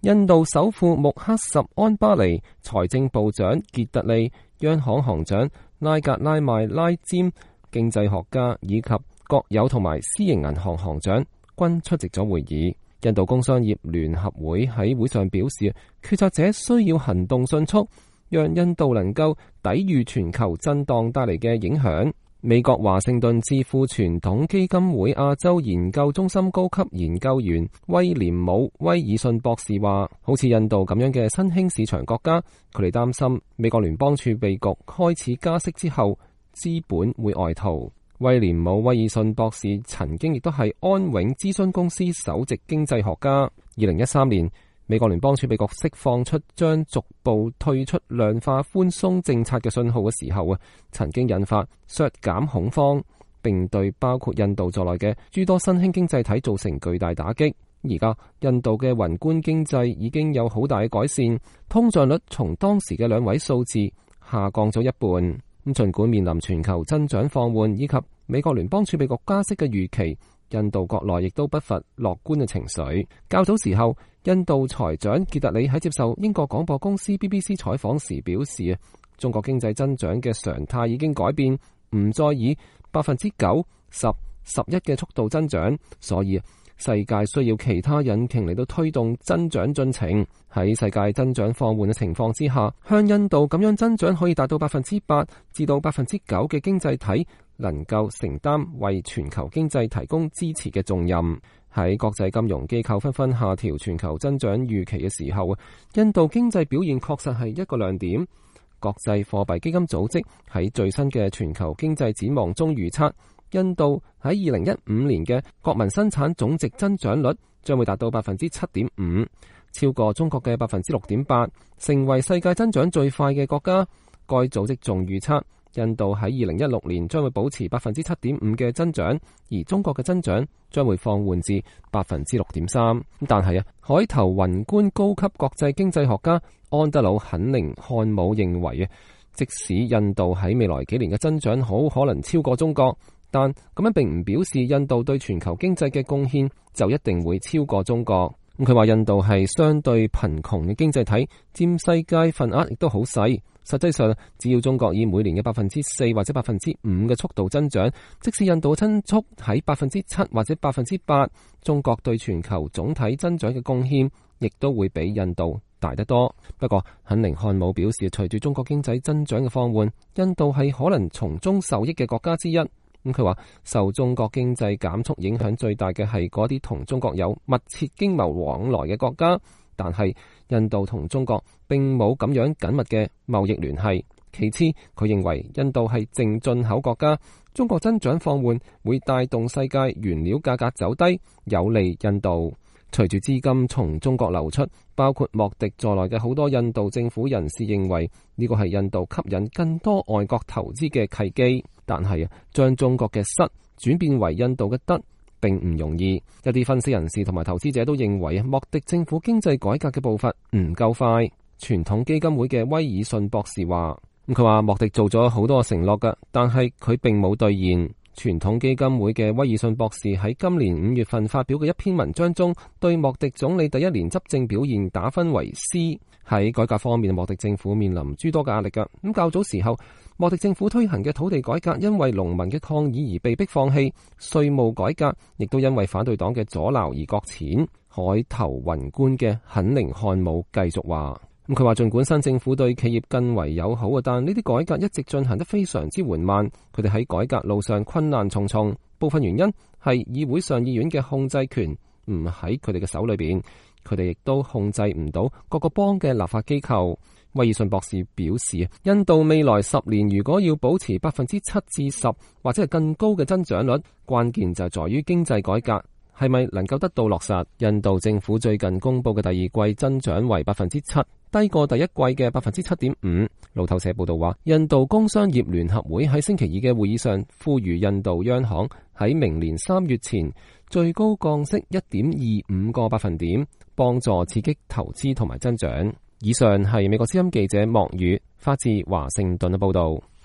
印度首富穆克什安巴尼、財政部長傑特利、央行行長拉格拉邁拉詹、經濟學家以及國有同埋私營銀行行長均出席咗會議。印度工商業聯合會喺會上表示，決策者需要行動迅速，讓印度能夠抵禦全球震盪帶嚟嘅影響。美國華盛頓智庫傳統基金會亞洲研究中心高級研究員威廉姆威爾遜博士話，好似印度咁樣嘅新興市場國家，佢哋擔心美國聯邦儲備局開始加息之後，資本會外逃。威廉姆威爾遜博士曾經亦都係安永諮詢公司首席經濟學家。2013年，美國聯邦儲備局釋放出將逐步退出量化寬鬆政策嘅信號嘅時候曾經引發削減恐慌，並對包括印度在內嘅諸多新興經濟體造成巨大打擊。而家印度嘅宏觀經濟已經有好大嘅改善，通脹率從當時嘅2位數字下降咗一半。儘管面臨全球增長放緩以及美國聯邦儲備局加息嘅預期，印度國內亦都不乏樂觀嘅情緒。較早時候，印度財長傑特里喺接受英國廣播公司 BBC 採訪時表示，中國經濟增長嘅常態已經改變，唔再以9%、10%、11%嘅速度增長，所以世界需要其他引擎嚟到推動增長進程。喺世界增長放緩嘅情況之下，向印度咁樣增長可以達到8%至到9%嘅經濟體，能夠承擔為全球經濟提供支持嘅重任。喺國際金融機構紛紛下調全球增長預期嘅時候，印度經濟表現確實係一個亮點。國際貨幣基金組織喺最新嘅全球經濟展望中預測，印度喺2015年嘅國民生產總值增長率將會達到7.5%，超過中國嘅6.8%，成為世界增長最快嘅國家。該組織仲預測，印度喺2016年將會保持7.5%嘅增長，而中國嘅增長將會放緩至6.3%。但係海投宏觀高級國際經濟學家安德魯肯寧漢姆認為，即使印度喺未來幾年嘅增長好可能超過中國，但咁樣並唔表示印度對全球經濟嘅貢獻就一定會超過中國。佢話印度係相對貧窮嘅經濟體，佔世界份額亦都好細。實際上，只要中國以每年嘅4%或者5%嘅速度增長，即使印度嘅增速喺7%或者8%，中國對全球總體增長嘅貢獻亦都會比印度大得多。不過，肯寧漢姆表示，隨住中國經濟增長嘅放緩，印度係可能從中受益嘅國家之一。佢話受中國經濟減速影響最大嘅係嗰啲同中國有密切經貿往來嘅國家，但係印度同中國並冇咁樣緊密嘅貿易聯繫。其次，佢認為印度係淨進口國家，中國增長放緩會帶動世界原料價格走低，有利印度。隨住資金從中國流出，包括莫迪在內嘅好多印度政府人士認為呢個係印度吸引更多外國投資嘅契機。但係將中國嘅失轉變為印度嘅得並唔容易。一啲分析人士同埋投資者都認為莫迪政府經濟改革嘅步伐唔夠快。傳統基金會嘅威爾遜博士話，佢話莫迪做咗好多承諾㗎，但係佢並冇兌現。傳統基金會嘅威爾遜博士喺今年5月份發表嘅一篇文章中，對莫迪總理第一年執政表現打分為 C。喺改革方面，莫迪政府面臨諸多嘅壓力㗎。咁較早時候，莫迪政府推行嘅土地改革因為農民嘅抗議而被迫放棄，稅務改革亦都因為反對黨嘅阻撓而擱淺。海投宏觀嘅肯寧漢姆繼續話，佢話盡管新政府對企業更為友好，但呢啲改革一直進行得非常之緩慢，佢哋喺改革路上困難重重。部分原因係議會上議院嘅控制權唔喺佢哋嘅手裏邊，佢哋亦都控制唔到各個邦嘅立法機構。威爾遜博士表示，印度未來10年如果要保持7%至10%或者係更高嘅增長率，關鍵就在於經濟改革係咪能夠得到落實。印度政府最近公布嘅第二季增長為7%，低過第一季嘅7.5%。路透社報道話，印度工商業聯合會喺星期2嘅會議上呼籲印度央行喺明年3月前最高降息1.25個百分點，幫助刺激投資同埋增長。以上係美國之音記者莫宇發自華盛頓嘅報道。